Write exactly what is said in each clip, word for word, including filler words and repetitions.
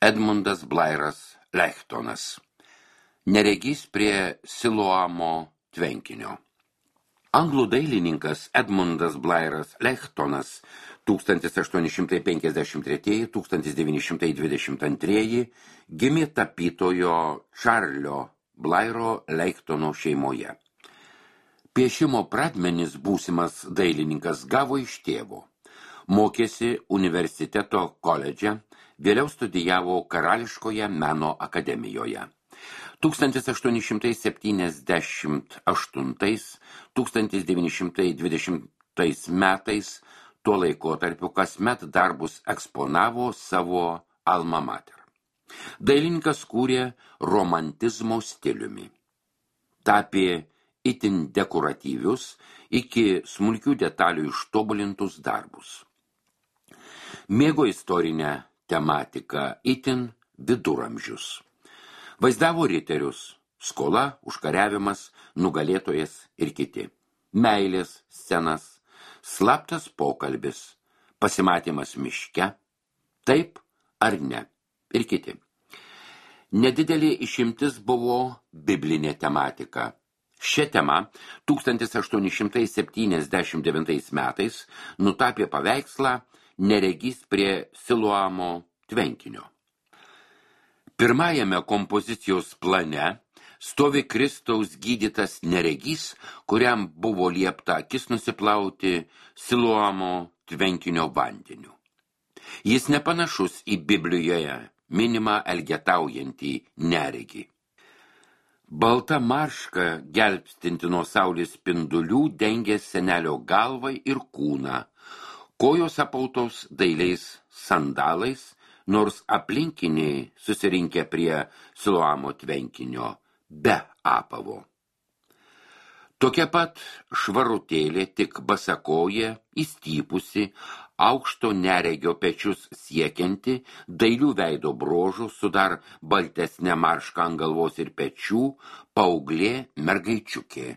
Edmundas Blairas Leichtonas. Neregys prie Siloamo tvenkinio. Anglų dailininkas Edmundas Blairas Leichtonas tūkstantis aštuoni šimtai penkiasdešimt trečiieji - tūkstantis devyni šimtai dvidešimt antrieji gimė tapytojo Čarlio Blairo Leichtono šeimoje. Piešimo pradmenis būsimas dailininkas gavo iš tėvo. Mokėsi universiteto koledže, vėliau studijavo Karališkoje meno akademijoje. tūkstantis aštuoni šimtai septyniasdešimt aštuntais - tūkstantis devyni šimtai dvidešimtais metais tuo laikotarpiu kasmet darbus eksponavo savo alma mater. Dailininkas kūrė romantizmo stiliumi. Tapė itin dekoratyvius, iki smulkių detalių ištobulintus darbus. Mėgo istorinę tematiką, itin viduramžius. Vaizdavo riterius, skola, užkariavimas, nugalėtojas ir kiti. Meilės scenas, slaptas pokalbis, pasimatymas miške, taip ar ne, ir kiti. Nedidelė išimtis buvo biblinė tematika. Šią temą tūkstantis aštuoni šimtai septyniasdešimt devintais metais nutapė paveikslą Neregys prie Siloamo tvenkinio. Pirmajame kompozicijos plane stovi Kristaus gydytas neregys, kuriam buvo liepta akis nusiplauti Siloamo tvenkinio vandeniu. Jis nepanašus į Biblijoje minimą elgetaujantį neregį. Balta marška gelbstinti nuo saulės spindulių dengė senelio galvą ir kūną, kojos apautos dailiais sandalais, nors aplinkiniai susirinkę prie Siloamo tvenkinio be apavo. Tokia pat švarutėlė, tik basakoje, įstypusi, aukšto neregio pečius siekianti, dailių veido brožų su dar baltesnė marška ant galvos ir pečių, paauglė mergaičiukė,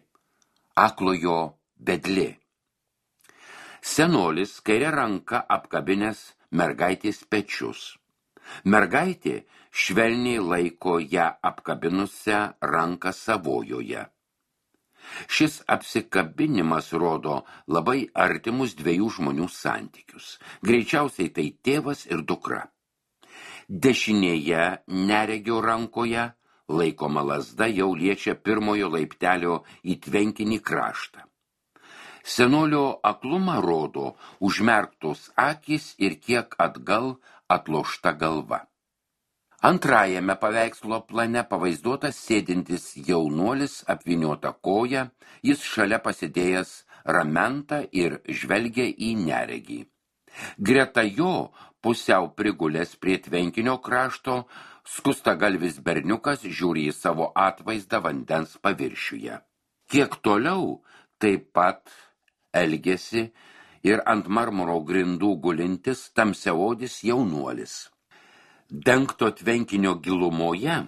aklojo vedlė. Senolis kairė ranka apkabinęs mergaitės pečius. Mergaitė švelniai laiko ją apkabinusią ranką savojoje. Šis apsikabinimas rodo labai artimus dviejų žmonių santykius. Greičiausiai tai tėvas ir dukra. Dešinėje neregio rankoje laikoma lazda jau liečia pirmojo laiptelio į tvenkinį kraštą. Senolio aklumą rodo užmerktos akys ir kiek atgal atlošta galva. Antrajame paveikslo plane pavaizduotas sėdintis jaunuolis apvyniota koja, jis šalia pasidėjęs ramentą ir žvelgia į neregį. Greta jo pusiau prigulęs prie tvenkinio krašto skustagalvis berniukas žiūri į savo atvaizdą vandens paviršiuje. Kiek toliau taip pat elgėsi ir ant marmuro grindų gulintis tamsiaodis jaunuolis. Dengto tvenkinio gilumoje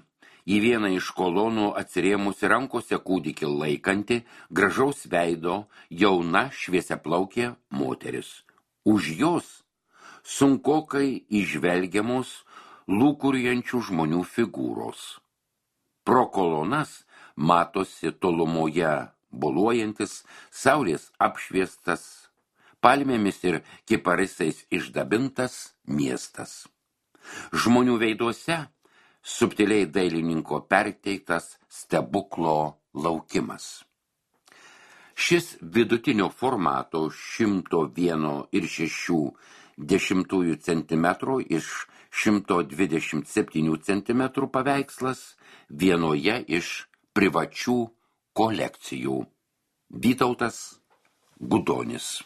į vieną iš kolonų atsirėmusi rankose kūdikį laikanti, gražaus veido, jauna šviesiaplaukė moteris. Už jos sunkokai įžvelgiamos lūkuriančių žmonių figūros. Pro kolonas matosi tolumoje boluojantis, saulės apšviestas, palmėmis ir kiparisais išdabintas miestas. Žmonių veiduose subtiliai dailininko perteiktas stebuklo laukimas. Šis vidutinio formato šimto vieno ir šešių dešimtųjų centimetrų iš šimto dvidešimt septynių centimetrų paveikslas vienoje iš privačių kolekcijų. Vytautas Gudonis.